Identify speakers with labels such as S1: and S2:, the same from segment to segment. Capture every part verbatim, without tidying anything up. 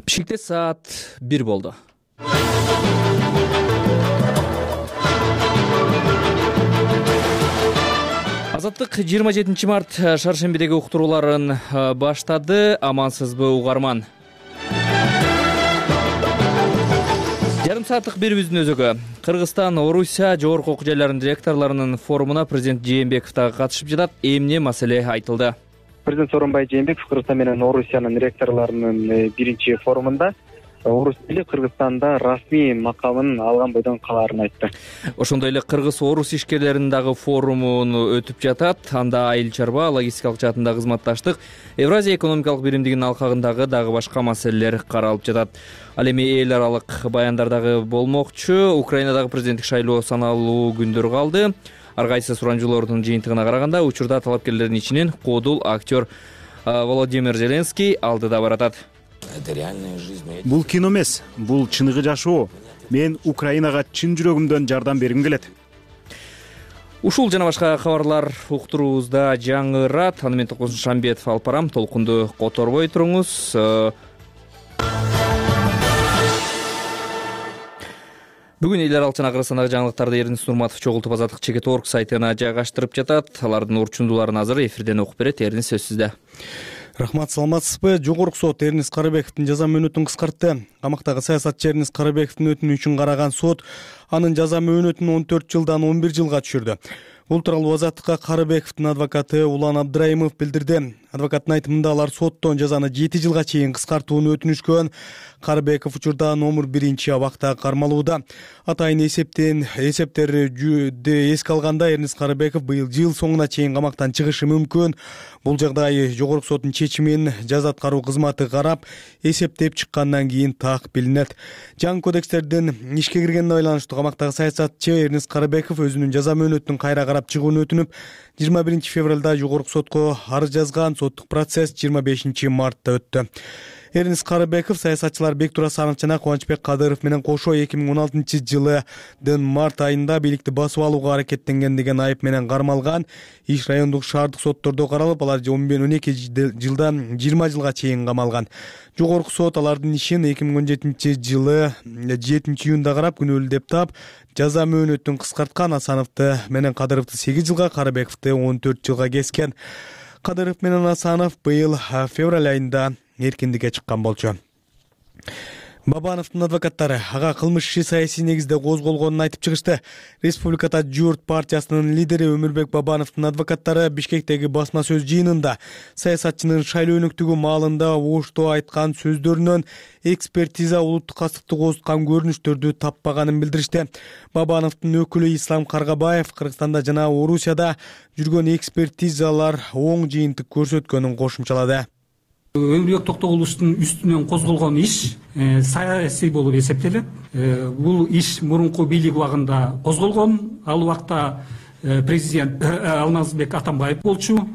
S1: Бишкекте саат бир болду. Азаттык жыйырма жетинчи март шаршембидеги уктурууларын баштады. Амансызбы угарман? Жарым сааттык берүүбүздүн өзөгү. Кыргызстан, Орусия жогорку окуу жайларынын директорлорунун форумуна президент Жээнбеков дагы катышып жатат. Эмне маселе айтылды?
S2: Президент Сооронбай Жээнбеков Кыргызстан менен Орусиянын ректорлорунун биринчи форумунда орус тили Кыргызстанда расмий макамын алган бойдон калаарын айтты.
S1: Ошондой эле кыргыз-орус ишкерлеринин дагы форумун өтүп жатат. Анда айыл чарба, логистикалык жаатында кызматташтык, Евразия экономикалык биримдигинин алкагындагы дагы башка маселелер каралып жатат. Ал эми эл аралык баяндар дагы болмокчу. Украинадагы президенттик шайлоо саналуу күндөр калды. Ар кайсы суранжоолордун жыйынтыгына караганда учурда талапкерлердин ичинен кодул актер Володимир Зеленский алдыда баратат.
S3: Бул кино эмес, бул чыныгы жашоо. Мен Украинага чын жүрөгүмдөн жардам бергим келет.
S1: Ушул жана башка кабарлар уктуруубузда жаңырат. Аны мен Токмуш Шамбетов алып барам. Толкунду которбой туруңуз. Бүгүн эл аралык жана Кыргызстандагы жаңылыктарды Эрнис Нурматов чогултуп Азаттык чекит точка орг сайтына жайгаштырып жатат. Алардын урчундууларын азыр эфирден окуп берет. Эрнис, сөз сизде.
S4: Рахмат, саламатсызбы? Жогорку сот Эрнис Карыбековдун жаза мөөнөтүн кыскартты. Камактагы саясатчы Эрнис Карыбековдун өтүнүчүн караган сот анын жаза мөөнөтүн он төрт жылдан он бир жылга түшүрдү. Бул тууралуу Азаттыкка Карыбековдун адвокаты Улан Абдраимов билдирди. Адвокаттын айтымында алар соттон жазаны жети жылга чейин кыскартууну өтүнүшкөн. Карыбеков учурда номер биринчи абакта кармалууда. Атайын эсептен эсептерди эске алганда Эрнис Карыбеков быйыл жыл соңуна чейин камактан чыгышы мүмкүн. Бул жагдай жогорку соттун чечимин жаза аткаруу кызматы карап, эсептеп чыккандан кийин так билинет. Жаңы кодекстердин ишке киргенине байланыштуу камактагы саясатчы Эрнис Карыбеков өзүнүн жаза мөөнөтүнүн кайра карап чыгууну өтүнүп, жыйырма биринчи февралда жогорку сотко арыз жазган. Соттук процесс жыйырма бешинчи мартта өттү. Эрнис Карыбеков саясатчылар Бектур Асанов жана Кубанычбек Кадыров менен кошо эки миң он алтынчы жылдын март айында бийликти басып алууга аракеттенген деген айып менен кармалган. Иш райондук шаардык соттордо каралып, алар он эки жылдан жыйырма жылга чейин камалган. Жогорку сот алардын ишин эки миң он жетинчи жылы жетинчи июнда карап, күнөөлүү деп таап, жаза мөөнөтүн кыскарткан. Асановду менен Кадыровду сегиз жылга, Карыбековду он төрт жылга кескен. Кадыров менен Асанов быйыл февраль айында эркиндикке чыккан болчу. Бабановдун адвокаттары ага кылмыш иши саясий негизде козголгонун айтып чыгышты. Республикада Журт партиясынын лидери Өмүрбек Бабановдун адвокаттары Бишкектеги басма сөз жыйынында саясатчынын шайлоо өнөктүгү маалында оштоо айткан сөздөрүнөн экспертиза улуттук кастыкты козуткан көрүнүштөрдү таппаганын билдиришти. Бабановдун өкүлү Ислам Каргабаев Кыргызстанда жана Орусияда жүргөн экспертизалар оң жыйынтык көрсөткөнүн кошумчалады.
S5: Өмүрбек Токтогуловдун үстүнөн козголгон иш саясий болуп эсептелет. Бул иш мурунку бийлик убагында козголгон. Ал убакта президент Алмазбек Атамбаев болчу.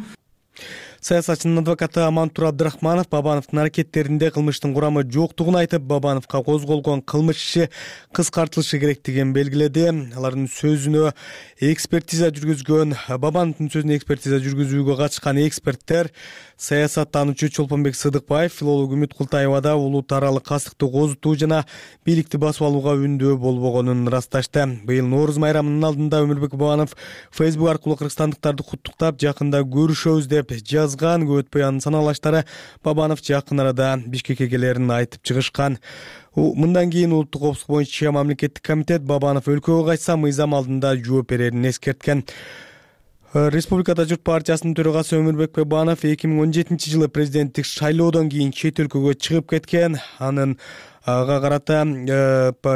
S4: Саясатчынын адвокаты Амантур Абдрахманов Бабановдун аракеттеринде кылмыштын курамы жоктугун айтып, Бабановго козголгон кылмыш иши кыскартылышы керектигин белгиледи. Алардын сөзүнө экспертиза жүргүзгөн, Бабановдун сөзүнө экспертиза жүргүзүүгө катышкан эксперттер саясаттануучу Чолпонбек Сыдыкбаев, филолог Үмүт Култаева да улут аралык кастыкты козутуу жана бийликти басып алууга үндөө болбогонун ырасташты. Быйыл Нооруз майрамынын алдында Өмүрбек Бабанов Facebook аркылуу кыргызстандыктарды куттуктап, жакында көрүшөбүз деп жазган. Көп өтпөй анын санаалаштары Бабанов жакын арада Бишкекке келерин айтып чыгышкан. Мындан кийин улуттук коопсуздук боюнча мамлекеттик комитет Бабанов өлкөгө кайтса мыйзам алдында жооп берерин эскерткен. Республикада Журт партиясынын төрагасы Өмүрбек Бабанов эки миң он жетинчи жылы президенттик шайлоодон кийин чет өлкөгө чыгып кеткен. Анын ага карата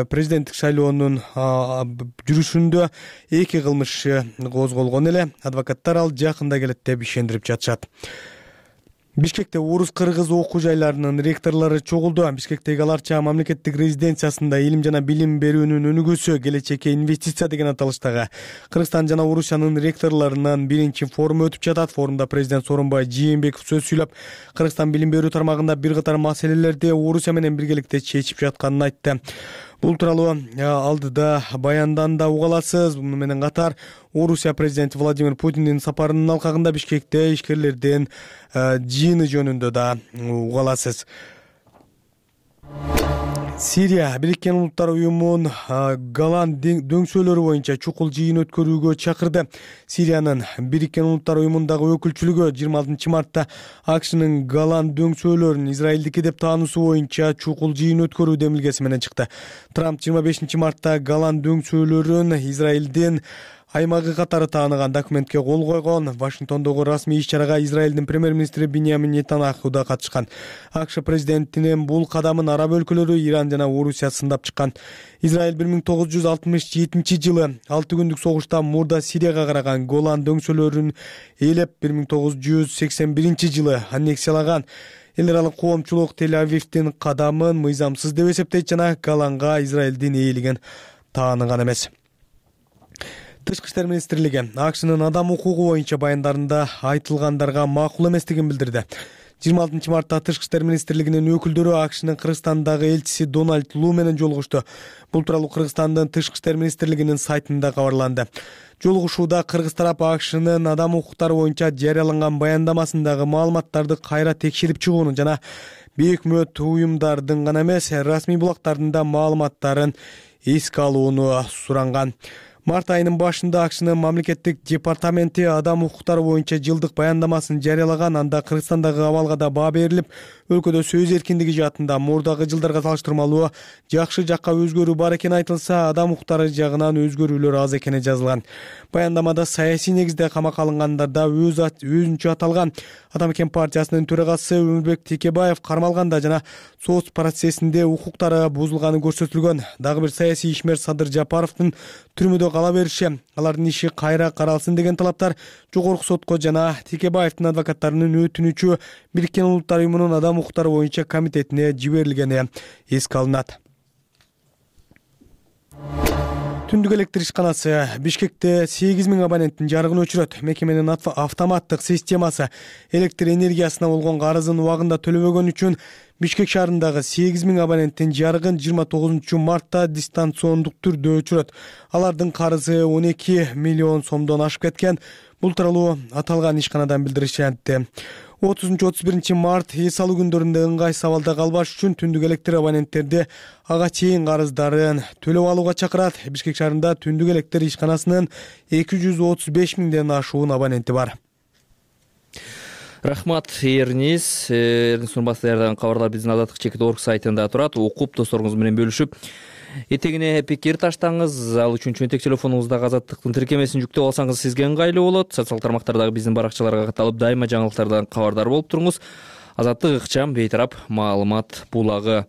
S4: президенттик шайлоонун жүрүшүндө эки кылмыш козголгон эле. Адвокаттар ал жакында келет деп ишендирип жатышат. Бишкекте орус-кыргыз окуу жайларынын ректорлору чогулду. Бишкектеги Аларча мамлекеттик резиденциясында илим жана билим берүүнүн өнүгүүсү, келечекке инвестиция деген аталыштагы Кыргызстан жана Орусиянын ректорлорунун биринчи форуму өтүп жатат. Форумда президент Сооронбай Жээнбеков сөз сүйлөп, Кыргызстан билим берүү тармагында бир катар маселелерди Орусия менен биргеликте чечип жатканын айтты. Бул тууралуу алдыда баянданда уга аласыз. Муну менен катар Орусия президенти Владимир Путиндин сапарынын алкагында Бишкекте ишкерлердин жыйыны жөнүндө да уга аласыз. Сирия Бириккен Улуттар уюмунун Голан дөңсөлөрү боюнча чукул жыйын өткөрүүгө чакырды. Сириянын Бириккен Улуттар уюмундагы өкүлчүлүгү жыйырма алтынчы мартта АКШнын Голан дөңсөлөрүн Израилдики деп таануусу боюнча чукул жыйын өткөрүү демилгеси менен чыкты. Трамп жыйырма бешинчи мартта Голан дөңсөлөрүн Израилдин аймагы катары тааныган документке кол койгон. Вашингтондогу расмий иш-чарага Израилдин премьер-министри Биньямин Нетаньяху да катышкан. АКШ президентинин бул кадамын араб өлкөлөрү Иран жана Орусия сындап чыккан. Израиль бир миң тогуз жүз алтымыш жетинчи жылы алты күндүк согуштан мурда Сирияга караган Голан дөңсөлөрүн ээлеп, бир миң тогуз жүз сексен биринчи жылы аннексиялаган. Эл аралык коомчулук Тель-Авивдин кадамын мыйзамсыз деп эсептейт жана Голанга Израилдин ээлигин тааныган эмес. Тышкы иштер министрлиги АКШнын адам укугу боюнча баяндарында айтылгандарга макул эместигин билдирди. жыйырма алтынчы мартта Тышкы иштер министрлигинин өкүлдөрү АКШнын Кыргызстандагы элчиси Дональд Лу менен жолугушту. Бул тууралуу Кыргызстандын Тышкы иштер министрлигинин сайтында кабарланды. Жолугушууда кыргыз тарап АКШнын адам укуктары боюнча жарыяланган баяндамасындагы маалыматтарды кайра текшерип чыгууну жана бейөкмөт уюмдардын гана эмес, расмий булактардын да маалыматтарын эске алууну суранган. Март айынын башында АКШнын мамлекеттик департаменти адам укуктары боюнча жылдык баяндамасын жарыялаган. Анда Кыргызстандагы абалга да баа берилип, өлкөдө сөз эркиндиги жаатында мурдагы жылдарга салыштырмалуу жакшы жакка өзгөрүү бар экени айтылса, адам укуктары жагынан өзгөрүүлөр аз экени жазылган. Баяндамада саясий негизде камакка алынгандарда өз өзүнчө аталган. Адам экен партиясынын төрагасы Өмүрбек Текебаев кармалганда жана соц процессинде укуктары бузулганы көрсөтүлгөн. Дагы бир саясий ишмер Садыр Жапаровдун түрмөдө кала бериши, алардын иши кайра каралсын деген талаптар жогорку сотко жана Текебаевдин адвокаттарынын өтүнүчү Бириккен Улуттар уюмунун адам укуктары боюнча комитетине жиберилгени эске алынат. Түндүк электр ишканасы Бишкекте сегиз миң абоненттин жарыгын өчүрөт. Мекеменин автоматтык системасы электр энергиясына болгон карызын убагында төлөбөгөн үчүн Бишкек шаарындагы сегиз миң абоненттин жарыгын жыйырма тогузунчу мартта дистанциондук түрдө өчүрөт. Алардын карызы он эки миллион сомдон ашып кеткен. Бул тууралуу аталган ишканадан билдиришти. отузунчу отуз биринчи март эс алуу күндөрүндө ыңгай сабалда калбаш үчүн түндүк электр абоненттерди ага чейин карыздарын төлөп алууга чакырат. Бишкек шаарында түндүк электр ишканасынын эки жүз отуз беш миңден ашуун абоненти бар.
S1: Рахмат, Эрнис. Эрнис Нурбатов даярдаган кабарлар биздин Азаттык чекит орг сайтында турат. Окуп, досторуңуз менен бөлүшүп, этегине пикир таштаңыз. Ал үчүн чөнтек телефонуңуздагы Азаттыктын тиркемесин жүктөп алсаңыз сизге ыңгайлуу болот. Социалдык тармактардагы биздин баракчаларга катталып, дайыма жаңылыктардан кабардар болуп туруңуз. Азаттык ыкчам, бейтарап маалымат булагы.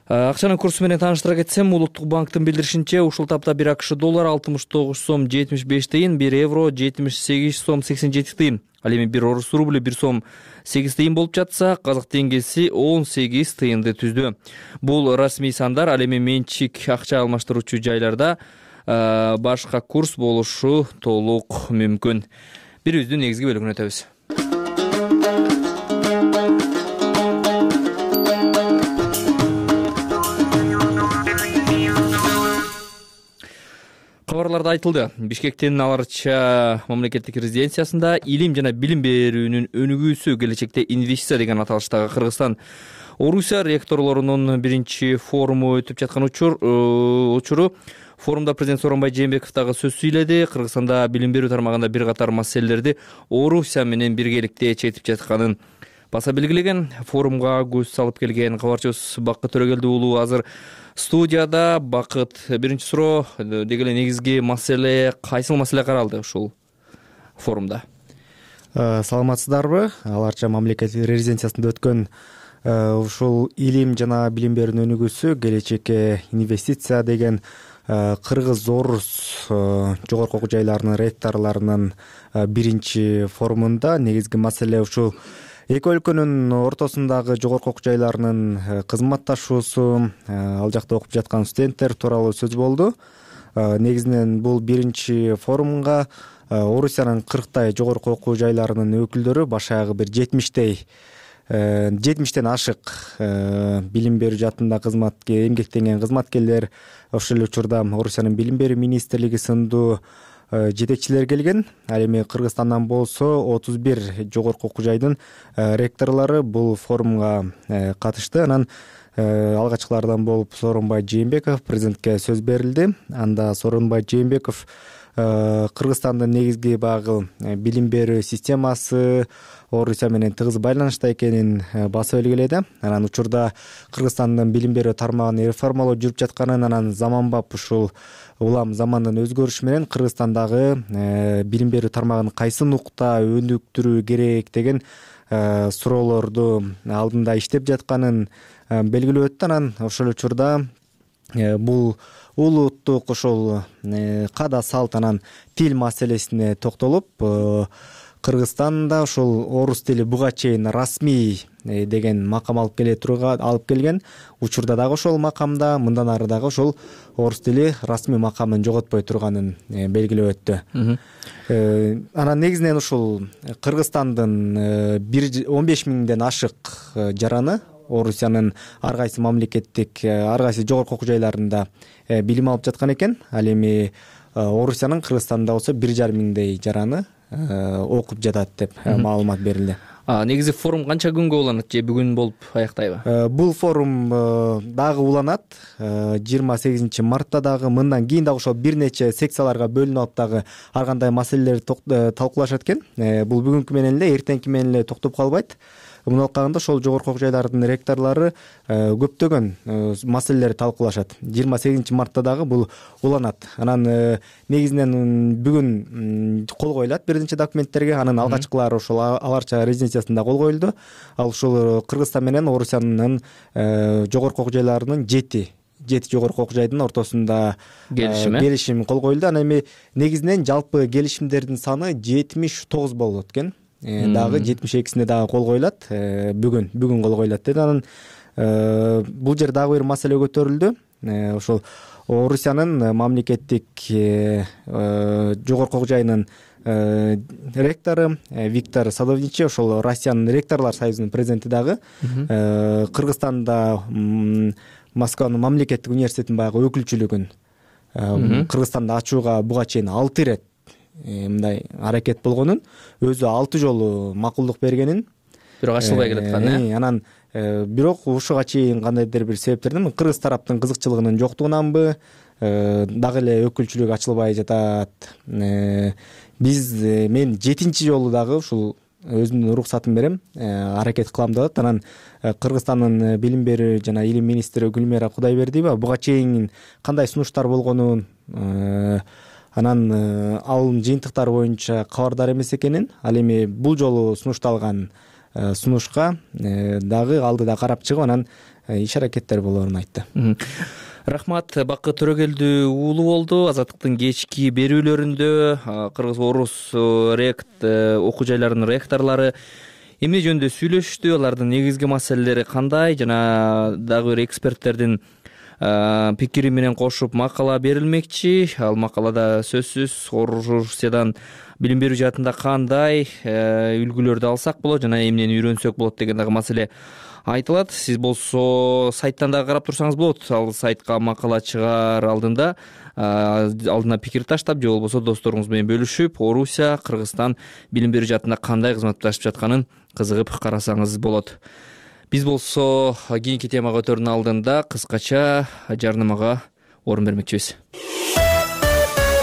S1: Акчанын курсу менен тааныштыра кетсем, Улуттук банктын билдиришинче, ушул тапта бир АКШ доллар алтымыш тогуз сом жетимиш беш тыйын, бир евро жетимиш сегиз сом сексен жети тыйын. Ал эми бир орус рубль бир сом сегиз тыйын болуп жатса, казак теңгеси он сегиз тыйынды түздү. Бул расмий сандар. Ал эми менчик акча алмаштыруучу жайларда башка курс болушу толук мүмкүн. Бирибиздин негизги бөлүгүнө өтөбүз. Кабарларда айтылды. Бишкектин Аларча мамлекеттик резиденциясында илим жана билим берүүнүн өнүгүүсү келечекте инвестиция деген аталыштагы Кыргызстан Орусия ректорлорунун биринчи форуму өтүп жаткан учуру. Форумда президент Сооронбай Жээнбеков дагы сөз сүйлөдү. Кыргызстанда билим берүү тармагында бир катар маселелерди Орусия менен биргеликте чечип жатканын баса белгилеген. Форумга көз салып келген кабарчыбыз Бакыт Төрөгелди уулу азыр студияда. Бакыт, биринчи суроо деги эле негизги маселе кайсыл маселе каралды ушул форумда?
S6: Саламатсыздарбы? Аларча мамлекеттик резиденциясында өткөн ушул илим жана билим берүүнүн өнүгүүсү келечекке инвестиция деген кыргыз орус жогорку окуу жайларынын ректорлорунун биринчи форумунда негизги маселе ушул эки өлкөнүн ортосундагы жогорку окуу жайларынын кызматташуусу, ал жакта окуп жаткан студенттер тууралуу сөз болду. Негизинен бул биринчи форумга Орусиянын кырктай жогорку окуу жайларынын өкүлдөрү баш аягы бир жетимиштей жетимиштен ашык билим берүү жаатында кызматка эмгектенген кызматкерлер, ошол эле учурда Орусиянын билим берүү министрлиги сындуу жетекчилери келген. Ал эми Кыргызстандан болсо отуз бир жогорку окуу жайдын ректорлору бул форумга катышты. Анан алгачкылардан болуп Сооронбай Жээнбеков президентке сөз берилди. Анда Сооронбай Жээнбеков Кыргызстандын негизги багы билим берүү системасы Орусия менен тыгыз байланышта экенин басып белгиледи. Анан учурда Кыргызстандын билим берүү тармагын реформалоо жүрүп жатканын, анан заманбап ушул улам замандын өзгөрүшү менен Кыргызстандагы билим берүү тармагын кайсы нукта өнүктүрүү керек деген суроолорду алдында иштеп жатканын белгилеп өттү. Анан ошол учурда бул улуттук ошол када салт анан тил маселесине токтолуп, Кыргызстанда ошол орус тили буга чейин расмий деген макам алып келе турган алып келген. Учурда дагы ошол макамда мындан ары дагы ошол орус тили расмий макамын жоготпой турганын белгилеп өттү. Анан негизинен ушул Кыргызстандын он беш миңден ашык жараны Орусиянын ар кайсы мамлекеттик, ар кайсы жогорку окуу жайларында билим алып жаткан экен. Ал эми Орусиянын Кыргызстанда болсо бир жарым миңдей жараны окуп жатат деп маалымат берилди.
S1: Негизи форум канча күнгө уланат же бүгүн болуп аяктайбы?
S6: Бул форум дагы уланат. жыйырма сегизинчи мартта дагы, мындан кийин дагы ошол бир нече секцияларга бөлүнүп алып дагы ар кандай маселелерди талкуулашат экен. Бул бүгүнкү менен эле, эртеңки менен эле токтоп калбайт. Муну алкагында ошол жогорку окуу жайлардын ректорлору көптөгөн маселелерди талкуулашат. жыйырма сегизинчи мартта дагы бул уланат. Анан негизинен бүгүн кол коюлат биринчи документтерге. Анын алгачкылары ошол аларча резиденциясында кол коюлду. Ал ушул Кыргызстан менен Орусиянын жогорку окуу жайларынын жети жети жогорку окуу жайдын ортосунда келишим келишим кол коюлду. Анан эми негизинен жалпы келишимдердин саны жетимиш тогуз болот экен. Дагы жетимиш экисине дагы кол коюлат. Бүгүн бүгүн кол коюлат деди. Анан бул жерде дагы бир маселе көтөрүлдү. Ошол Орусиянын мамлекеттик жогорку окуу жайынын ректору Виктор Садовничий, ошол Россиянын ректорлор союзунун президенти дагы Кыргызстанда Москванын мамлекеттик университетинин баягы өкүлчүлүгүн Кыргызстанда ачууга буга чейин алты ирет мындай аракет болгонун, өзү алты жолу макулдук бергенин,
S1: бирок ачылбай келаткан.
S6: Э анан бирок ушуга чейин кандайдыр бир себептерден кыргыз тараптын кызыкчылыгынын жоктугунанбы дагы эле өкүлчүлүк ачылбай жатат. Биз мен жетинчи жолу дагы ушул өзүмдүн уруксатым берем, аракет кылам деп атат. Анан Кыргызстандын билим берүү жана илим министри Гүлмира Кудайбердиева буга чейин кандай сунуштар болгонун, анан ал жыйынтыктар боюнча кабардар эмес экенин, ал эми бул жолу сунушталган сунушка дагы алдыда карап чыгып, анан иш аракеттер болоорун айтты.
S1: Рахмат. Бакыт Төрөгелдүү уулу болду. Азаттыктын кечки берүүлөрүндө кыргыз орус рект окуу жайларынын ректорлору эмне жөнүндө сүйлөштү, алардын негизги маселелери кандай, жана дагы бир эксперттердин пикири менен кошуп макала берилмекчи. Ал макалада сөзсүз Орусиядан билим берүү жаатында кандай үлгүлөрдү алсак болот жана эмнени үйрөнсөк болот деген дагы маселе айтылат. Сиз болсо сайттан дагы карап турсаңыз болот. Ал сайтка макала чыгаар алдында алдына пикир таштап же болбосо досторуңуз менен бөлүшүп, Орусия, Кыргызстан билим берүү жаатында кандай кызматташып жатканын кызыгып карасаңыз болот. Биз болсо кийинки темага өтөрүнүн алдында кыскача жарнамага орун бермекчибиз.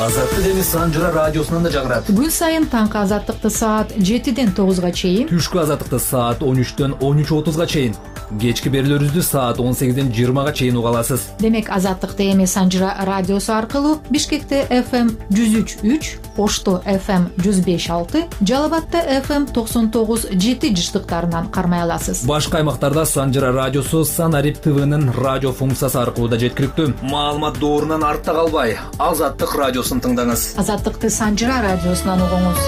S7: Азаттык эми Санжыра радиосунан да жагырат.
S8: Күн сайын таңкы азаттыкты саат жетиден тогузга чейин,
S7: түшкү азаттыкты саат он үчтөн он үч отузга чейин, кечки берүүлөрүбүздү саат он сегизден жыйырмага чейин уга аласыз.
S8: Демек азаттыкты эми Санжыра радиосу аркылуу Бишкекте эф эм жүз үч үч, Ошто эф эм жүз беш алты, Жалал Абадта эф эм токсон тогуз жети жыштыктарынан кармай аласыз.
S7: Башка аймактарда Санжыра радиосу Санарип ТВнын радио функциясы аркылуу да жеткиликтүү. Маалымат доорунан артта калбай, Азаттык радиосун тыңдаңыз.
S8: Азаттыкты Санжыра радиосунан угуңуз.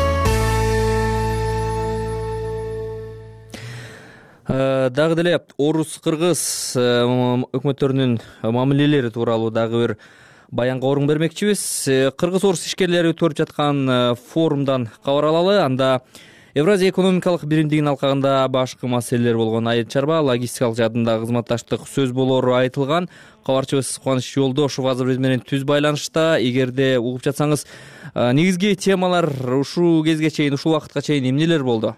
S1: Дагы деле орус-кыргыз өкмөттөрүнүн мамилелери тууралуу дагы бир баянга орун бермекчибиз. Кыргыз орус ишкерлери өтүп жаткан форумдан кабар алалы. Анда Евразия экономикалык биримдигинин алкагында башкы маселелер болгон айыл чарба, логистикалык жаатындагы кызматташтык сөз болору айтылган. Кабарчыбыз Кубаныч Жолдошов азыр биз менен түз байланышта. Эгерде угуп жатсаңыз, негизги темалар ушул кезге чейин, ушул убакытка чейин эмнелер болду?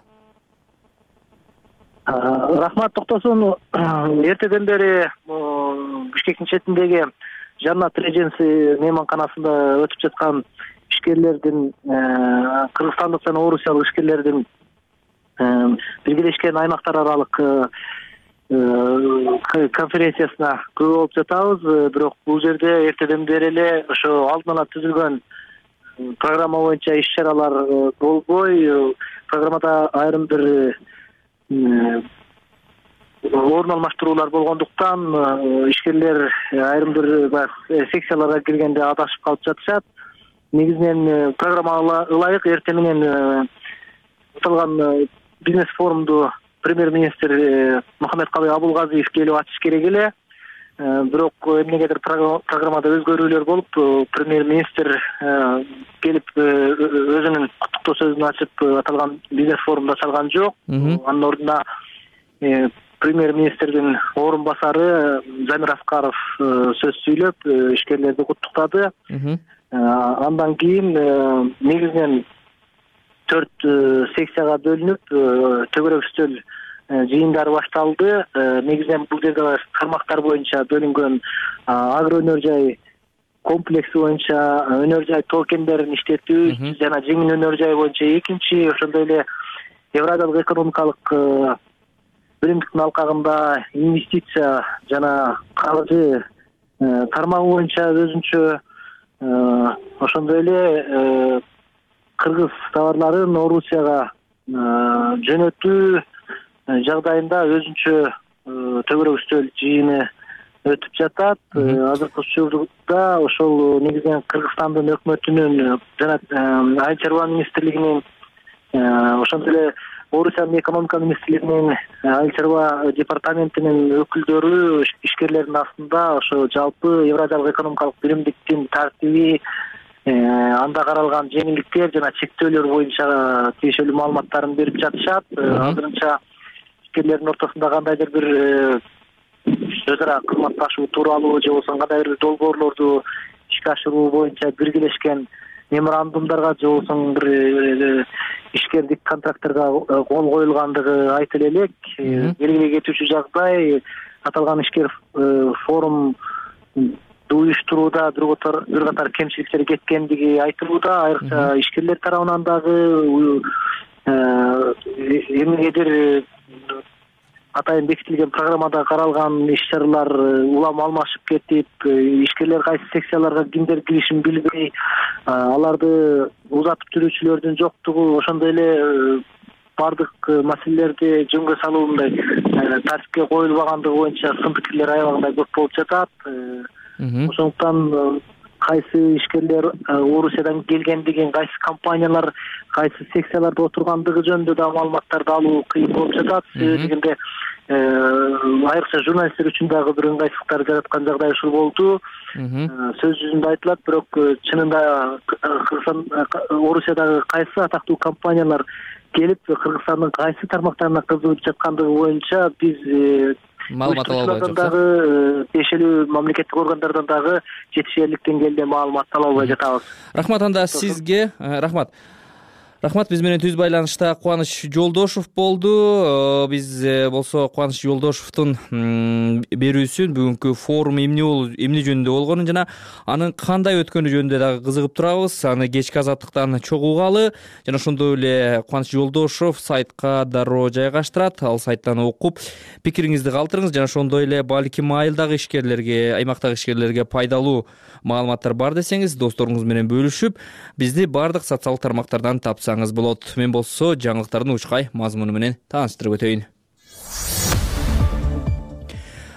S9: Рахмат, токтосун. Эртеден бери Бишкектин четиндеги Жаннат Реженси мейманканасында өтүп жаткан ишкерлердин, кыргызстандык жана орусиялык ишкерлердин биргелешкен аймактар аралык конференциясына күбө болуп жатабыз. Бирок бул жерде эртеден бери эле ошо алдын ала түзүлгөн программа боюнча иш-чаралар болбой, программада айрым бир орун алмаштыруулар болгондуктан ишкерлер айрым бир секцияларга киргенде адашып калып жатышат. Негизинен программага ылайык эртең менен аталган бизнес форумду премьер-министр Мухаммедкалый Абулгазиев келип ачыш керек эле. Бирок эмнегедир программада өзгөрүүлөр болуп, премьер-министр келип өзүнүн куттуктоо сөзүн ачып аталган бизнес форумда чалган жок. Анын ордуна премьер-министрдин орун басары Замир Аскаров сөз сүйлөп, ишкерлерди куттуктады. Андан кийин негизинен төрт секцияга бөлүнүп, төгөрөк үстөл жыйындары башталды. Негизинен бул жерде тармактар боюнча бөлүнгөн агроөнөр жай комплекси боюнча өнөр жай токендерин иштетүү жана жеңил өнөр жай боюнча экинчи, ошондой эле Евразиялык экономикалык биримдиктин алкагында инвестиция жана каржы тармагы боюнча өзүнчө, ошондой эле кыргыз товарларын Орусияга жөнөтүү жагдайында өзүнчө төгөрөк үстөл жыйыны өтүп жатат. Азыркы учурда ошол негизинен Кыргызстандын өкмөтүнүн жана айыл чарба министрлигинин, ошондой эле Орусиянын экономика министрлигинин айыл чарба департаментинин өкүлдөрү ишкерлердин астында ошо жалпы Евразиялык экономикалык биримдиктин тартиби, анда каралган жеңилдиктер жана чектөөлөр боюнча тиешелүү маалыматтарын берип жатышат. Азырынча ишкерлердин ортосунда кандайдыр бир өз ара кызматташуу тууралуу же болбосо кандайдыр бир долбоорлорду ишке ашыруу боюнча биргелешкен меморандумдарга же болбосо бир ишкердик контрактторго кол коюлгандыгы айтыла элек. Белгилей кетүүчү жагдай, аталган ишкер форум уюштурууда бир катар кемчиликтер кеткендиги айтылууда. Айрыкча ишкерлер тарабынан дагы эмнегедир атайын бекитилген программада каралган иш-чаралар улам алмашып кетип, ишкерлер кайсы секцияларга кимдер киришин билбей, аларды узатып жүрүүчүлөрдүн жоктугу, ошондой эле бардык маселелерди жөнгө салуундай тартипке коюлбагандыгы боюнча сын пикирлер аябагандай көп болуп жатат. Ошондуктан кайсы ишкерлер Орусиядан келгендигин, кайсы компаниялар кайсы секцияларда отургандыгы жөнүндө да маалыматтарды алуу кыйын болуп жатат. Себеби дегенде айрыкча журналисттер үчүн дагы бир ыңгайсыздыктар жараткан жагдай ушул болду. Сөз жүзүндө айтылат, бирок чынында Орусиядагы кайсы атактуу компаниялар келип Кыргызстандын кайсы тармактарына кызыгып жаткандыгы боюнча биз маалымат ала албай жатабыз. Тиешелүү мамлекеттик органдардан дагы жетишерлик деңгээлде маалымат ала албай жатабыз.
S1: Рахмат анда сизге. Рахмат. Рахмат, биз менен түз байланышта Кубаныч Жолдошов болду. Биз болсо Кубаныч Жолдошовдун берүүсүн, бүгүнкү форум эмне болду, эмне жөнүндө болгонун жана анын кандай өткөнү жөнүндө дагы кызыгып турабыз. Аны кечки азаттыктан чогуу угалы жана ошондой эле Кубаныч Жолдошов сайтка дароо жайгаштырат. Ал сайттан окуп пикириңизди калтырыңыз жана ошондой эле балким айылдагы ишкерлерге, аймактагы ишкерлерге пайдалуу маалыматтар бар десеңиз, досторуңуз менен бөлүшүп, бизди бардык социалдык тармактардан тапсаңыз болот. Мен болсо жаңылыктардын учкай мазмуну менен тааныштырып өтөйүн.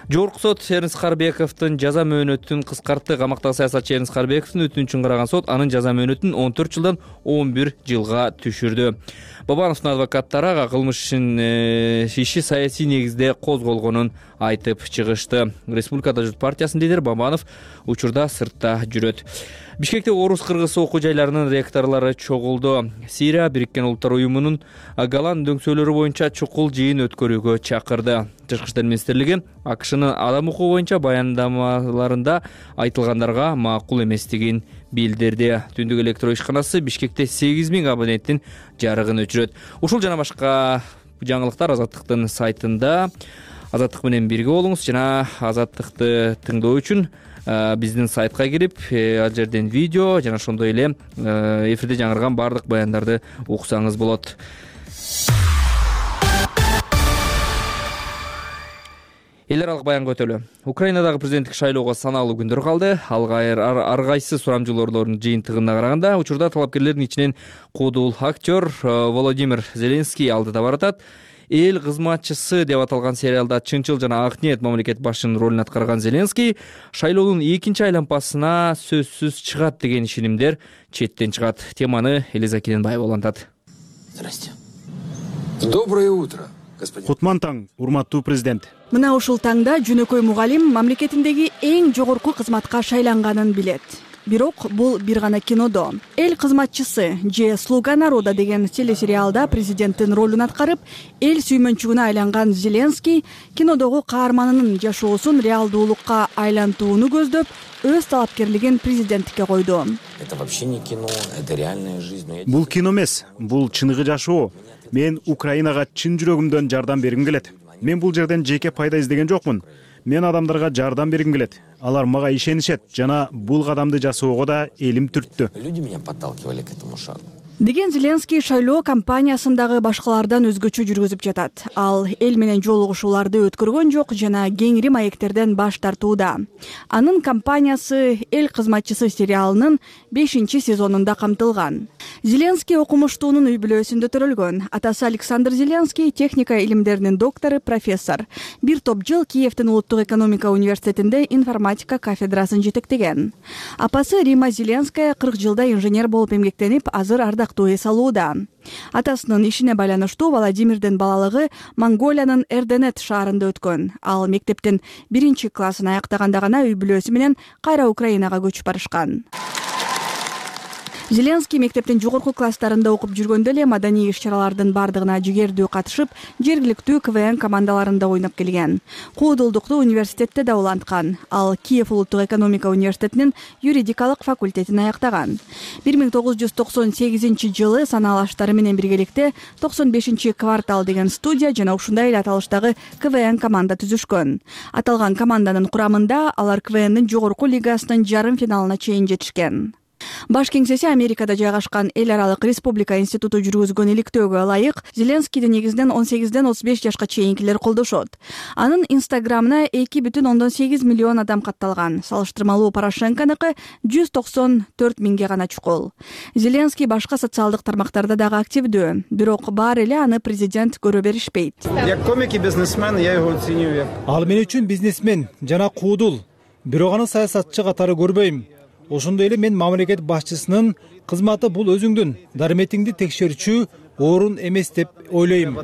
S1: Жогорку сот Эрнст Карбековдун жаза мөөнөтүн кыскартты. Камактагы саясатчы Эрнст Карбековдун өтүнүчүн караган сот анын жаза мөөнөтүн он төрт жылдан он бир жылга түшүрдү. Бабановдун адвокаттары ага кылмыштын иши саясий негизде козголгонун айтып чыгышты. Республикада журт партиясынын лидери Бабанов учурда сыртта жүрөт. Бишкекте орус-кыргыз окуу жайларынын ректорлору чогулду. Сирия Бириккен Улуттар уюмунун Голланд дөңсөлөрү боюнча чукул жыйын өткөрүүгө чакырды. Тышкы иштер министрлиги АКШнын адам укугу боюнча баяндамаларында айтылгандарга макул эместигин билдирди. Түндүк электро ишканасы Бишкекте сегиз миң абоненттин жарыгын өчүрөт. Ушул жана башка жаңылыктар Азаттыктын сайтында. Азаттык менен бирге болуңуз жана Азаттыкты тыңдоо үчүн биздин сайтка кирип, ал жерден видео жана ошондой эле эфирде жаңырган баардык баяндарды уксаңыз болот. Эл аралык баянга өтөлү. Украинадагы президенттик шайлоого саналуу күндөр калды. Ар кайсы сурамжылоолордун жыйынтыгына караганда, учурда талапкерлердин ичинен куудул актер Володимир Зеленский алдыда баратат. Эл кызматчысы деп аталган сериалда чынчыл жана ак ниет мамлекет башчынын ролун аткарган Зеленский шайлоонун экинчи айлампасына сөзсүз чыгат деген ишенимдер четтен чыгат. Теманы Элиза Кененбаева улантат.
S10: Здрасте. Доброе утро, господин.
S3: Кутман таң, урматтуу президент.
S11: Мына ушул таңда жөнөкөй мугалим мамлекетиндеги эң жогорку кызматка шайланганын билет. Бирок бул бир гана кинодо. Эл кызматчысы же Слуга народа деген телесериалда президенттин ролун аткарып, эл сүймөнчүгүнө айланган Зеленский кинодогу каарманынын жашоосун реалдуулукка айлантууну көздөп, өз талапкерлигин президенттикке койду.
S10: Это вообще не кино, это реальная жизнь.
S3: Бул кино эмес, бул чыныгы жашоо. Мен Украинага чын жүрөгүмдөн жардам бергим келет. Мен бул жерден жеке пайда издеген жокмун. Мен адамдарга жардам бергим келет. Алар мага ишенишет жана бул кадамды жасоого да элим түрттү.
S10: Люди меня подталкивали к этому шагу.
S11: Деген Зеленский шайлоо кампаниясындагы башкалардан өзгөчө жүргүзүп жатат. Ал эл менен жолугушууларды өткөргөн жок жана кеңири маектерден баш тартууда. Анын кампаниясы Эл кызматчысы сериалынын бешинчи сезонунда камтылган. Зеленский окумуштуунун үй бүлөсүндө төрөлгөн. Атасы Александр Зеленский техника илимдеринин доктору, профессор. Бир топ жыл Киевдин улуттук экономика университетинде информатика кафедрасын жетектеген. Апасы Рима Зеленская кырк жылда инженер болуп эмгектенип, азыр ардактуу эс алууда. Атасынын ишине байланыштуу Владимирдин балалыгы Монголиянын Эрденет шаарында өткөн. Ал мектептин биринчи классын аяктаганда гана үй бүлөсү менен кайра Украинага көчүп барышкан. Зеленский мектептин жогорку класстарында окуп жүргөндө эле маданий иш-чаралардын бардыгына жигердүү катышып, жергиликтүү КВН командаларында ойноп келген. Куудулдукту университетте да уланткан. Ал Киев улуттук экономика университетинин юридикалык факультетин аяктаган. бир миң тогуз жүз токсон сегизинчи жылы санаалаштары менен биргеликте токсон бешинчи квартал деген студия жана ушундай эле аталыштагы КВН команда түзүшкөн. Аталган команданын курамында алар КВНдин жогорку лигасынын жарым финалына чейин жетишкен. Баш кеңсеси Америкада жайгашкан Эл аралык республика институту жүргүзгөн иликтөөгө ылайык Зеленскийди негизинен он сегизден отуз беш жашка чейинкилер колдошот. Анын инстаграмына эки бүтүн ондон сегиз миллион адам катталган. Салыштырмалуу Порошенконуку жүз токсон төрт миңге гана чукул. Зеленский башка социалдык тармактарда дагы активдүү, бирок баары эле аны президент көрө беришпейт.
S12: Як комик и бизнесмен я его ценю. Ал мен үчүн бизнесмен жана куудул, бирок аны саясатчы катары көрбөйм. Ошондой эле мен мамлекет башчысынын кызматы бул өзүңдүн дарметиңди текшерүүчү орун эмес деп ойлойм.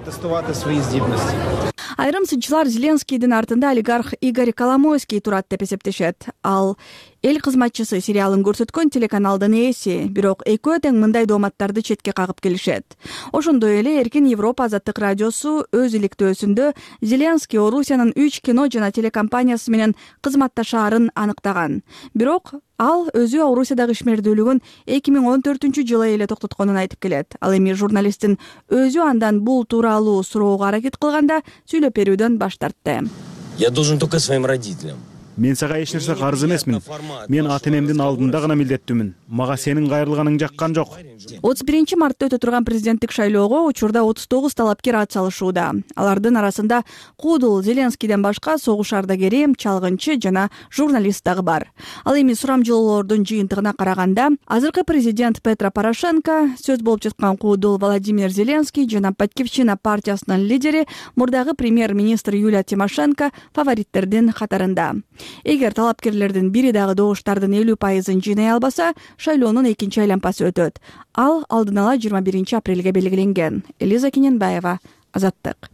S11: Айрым сынчылар Зеленскийдин артында олигарх Игорь Коломойский турат деп эсептешет. Ал Эл кызматчысы сериалын көрсөткөн телеканалдын ээси, бирок экөө тең мындай дооматтарды четке кагып келишет. Ошондой эле Эркин Европа Азаттык радиосу өз иликтөөсүндө Зеленский Орусиянын үч кино жана телекомпаниясы менен кызматташаарын аныктаган. Бирок ал өзү Орусиядагы ишмердүүлүгүн эки миң он төртүнчү жылы эле токтотконун айтып келет. Ал эми журналисттин өзү андан бул тууралуу суроого аракет кылганда сүйлөп берүүдөн баш тартты.
S10: Я должен только своим родителям.
S3: Мен сага эч нерсе карыз эмесмин. Мен ата энемдин алдында гана милдеттүүмүн. Мага сенин кайрылганың жаккан жок.
S11: отуз биринчи мартта өтө турган президенттик шайлоого учурда отуз тогуз талапкер ат салышууда. Алардын арасында куудул Зеленскийден башка согуш ардагери, чалгынчы жана журналист дагы бар. Ал эми сурамжылоолордун жыйынтыгына караганда, азыркы президент Петро Порошенко, сөз болуп жаткан куудул Владимир Зеленский жана Батькивщина партиясынын лидери, мурдагы премьер-министр Юлия Тимошенко фавориттердин катарында. Эгер талапкерлердин бири дагы добуштардын элүү пайызын жыйнай албаса, шайлоонун экинчи айланпасы өтөт. Ал алдын ала жыйырма биринчи апрелге белгиленген. Элиза Кененбаева, Азаттык.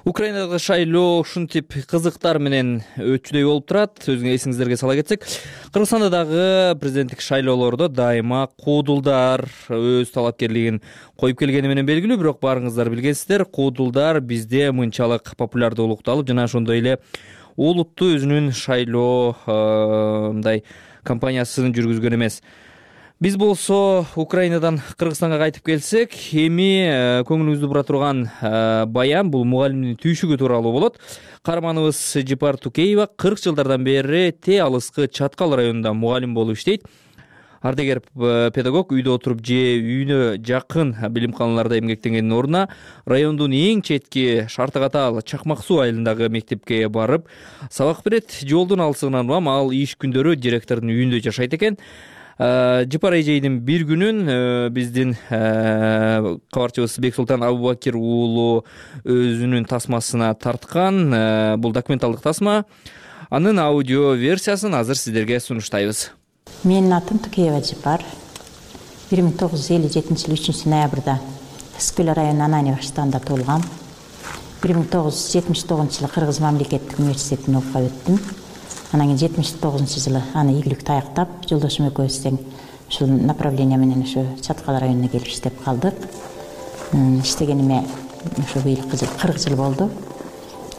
S1: Украинадагы шайлоо ушинтип кызыктар менен өтчүдөй болуп турат. Өзүңө эсиңиздерге сала кетсек, Кыргызстанда дагы президенттик шайлоолордо дайыма куудулдар өз талапкерлигин коюп келгени менен белгилүү, бирок баарыңыздар билгенсиздер, куудулдар бизде мынчалык популярдуулукту алып жана ошондой эле олуттуу өзүнүн шайлоо мындай кампаниясын жүргүзгөн эмес. Биз болсо Украинадан Кыргызстанга кайтып келсек, эми көңүлүбүздү бура турган баян бул мугалимдин түйшүгү тууралуу болот. Каарманыбыз Жипар Тукеева кырк жылдардан бери Те алыскы Чаткал районунда мугалим болуп иштейт. Ардегер педагог үйдө отуруп же үйүнө жакын билимканаларда эмгектенгендин ордуна райондун эң четки шарты катаал Чакмак суу айылындагы мектепке барып сабак берет. Жолдун алысыгынан улам ал иш күндөрү директордун үйүндө жашайт экен. Жипар эжейдин бир күнүн биздин кабарчыбыз Бексултан Абубакир уулу өзүнүн тасмасына тарткан. Бул документалдык тасма. Анын аудио версиясын азыр сиздерге сунуштайбыз.
S13: Менин атым Тукеева Жипар. бир миң тогуз жүз элүү жетинчи жылы үчүнчү ноябрда Скөл районунун Анани баштагында туулгам. бир миң тогуз жүз жетимиш тогузунчу жылы Кыргыз мамлекеттик университетин окуп өттүм. Анан кийин жетимиш тогузунчу жылы аны ийгиликтүү аяктап, жолдошум экөөбүз тең ушул направление менен ошо Чаткал районуна келип иштеп калдык. Иштегениме ошо быйыл кырк жыл болду.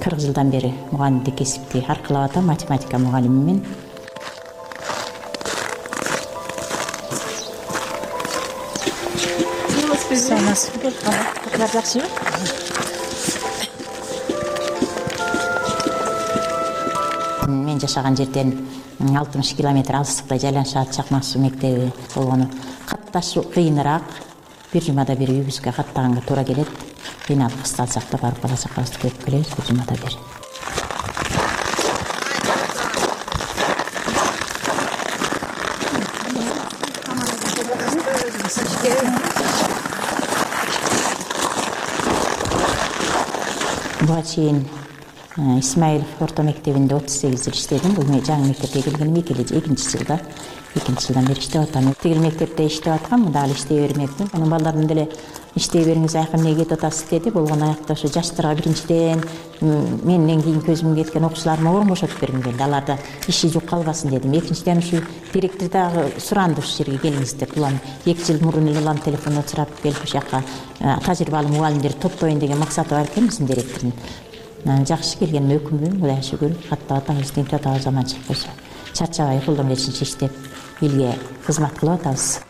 S13: кырк жылдан бери мугалимдик кесипти аркылап атам, математика мугалимимин. Мен жашаган жерден алтымыш километр алыстыкта жайланышат Чакмак суу мектеби болгону катташуу кыйыныраак. Бир жумада бир үйүбүзгө каттаганга туура келет. Кыйналып кысталсак да барып бала чакабызды көрүп келебиз бир жумада бир. Буга чейин Исмаилов орто мектебинде отуз сегиз жыл иштедим. Бул жаңы мектепке келгеним экинчи жылда. экинчи жылдан бери иштеп атам. Тигил мектепте иштеп аткам, мында дагы иштей бермекмин. Анын балдардын деле иштей бериңиз, аяка эмнеге кетип атасыз деди. Болгон аякта ошо жаштарга биринчиден менден кийин көзүм кеткен окуучуларыма орун бошотуп бергим келди. Аларда иши жок калбасын дедим. Экинчиден ушу директор дагы суранды ушул жерге келиңиз деп. Улам эки жыл мурун эле улам телефондон сурап келип ушул жака тажрыйбалуу мугалимдерди топтоюн деген максаты бар экен биздин директордун. Жакшы келгениме өкүнбөйм, Кудайга шүгүр. Каттап атабыз, тинтип атабыз, заман чыгып койсо. Чарчабай колдон келишинче иштеп, элге кызмат кылып атабыз.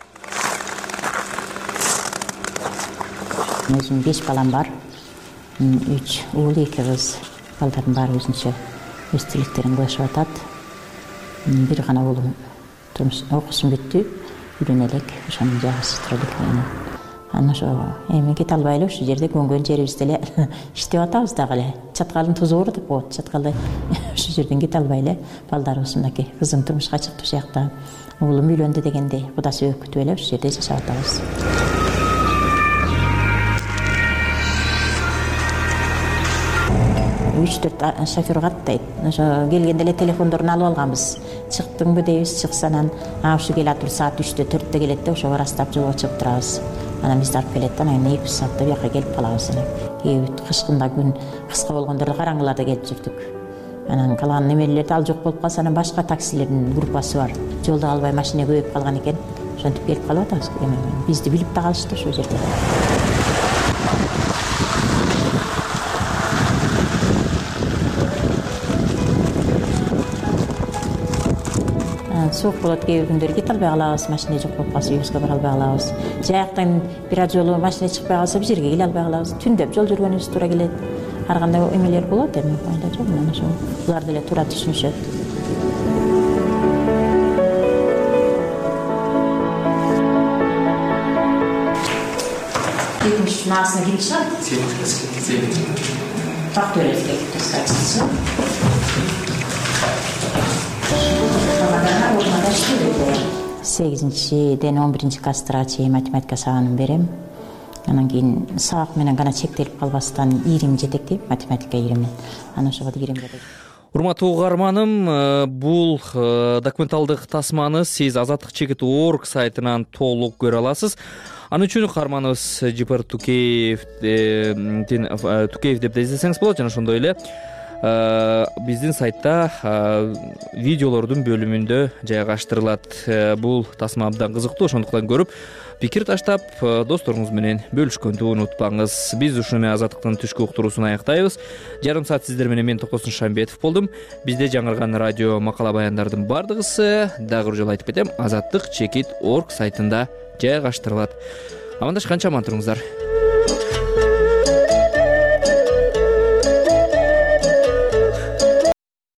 S13: Өзүм беш балам бар. үч уул, эки кыз. Балдардын баары өзүнчө өз тилектерин кылышып атат. Бир гана уулум турмуш окуусун бүттү, үйлөнө элек, ошонун жагысы тура элек. Анан ошо эми кете албай эле ушул жерде көнгөн жерибизде эле иштеп атабыз дагы эле. Чаткалдын тузу бар деп коет. Чаткалда ушул жерден кете албай эле балдарыбыз мынакей кызым турмушка чыкты ушул жакта. Уулум үйлөндү дегенде кудасы өкүтүп эле ушул жерде жашап атабыз. үч төрт шофер каттайт. Ошо келгенде эле телефондорун алып алганбыз. Чыктыңбы дейбиз, чыкса анан а ушу келе атып саат үчтө төрттө келет да ошого ырастап жолго чыгып турабыз. Анан бизди алып келет да, анан эки саатта бияка келип калабыз. Кээ кышкында күн кыска болгондо караңгыларда келип жүрдүк. Анан калаган немелерди ал жок болуп калса, анан башка таксилердин группасы бар. Жолдо албай машина көбөйүп калган экен. Ошентип келип калып атабыз. Бизди билип да калышты ошол жерде. Суук болот, кээ бир күндөр кете албай калабыз, машина жок болуп калса үйүбүзгө бара албай калабыз. Жаяктан бир жолу машина чыкпай калса бир жерге келе албай калабыз. Түндөп жол жүргөнүбүз туура келет. Ар кандай эмелер болот эми, айла жок, мына ошо булар деле туура түшүнүшөт. Экинчи насына ким чыгат? Сен. Так төлөйсүң, таскачысы. сегизинчиден он биринчи класстарга чейин математика сабагын берем. Анан кийин сабак менен гана чектелип калбастан ирим жетектейт, математика ирими. Анан ошого кирем.
S1: урматтуу угарманым, бул документалдык тасманы сиз азаттык чекит орг сайтынан толук көрө аласыз. Аны үчүн каарманыбыз Жипар Тукеев Тукеев деп да издесеңиз болот. Жана ошондой эле биздин сайтта видеолордун бөлүмүндө жайгаштырылат. Бул тасма абдан кызыктуу, ошондуктан көрүп пикир таштап досторуңуз менен бөлүшкөндү унутпаңыз. Биз ушуну менен азаттыктын түшкү уктуруусун аяктайбыз. Жарым саат сиздер менен мен Токосун Шамбетов болдум. Бизде жаңырган радио макала баяндардын бардыгысы дагы бир жолу айтып кетем, азаттык чекит орг сайтында жайгаштырылат. Амандашканча аман туруңуздар.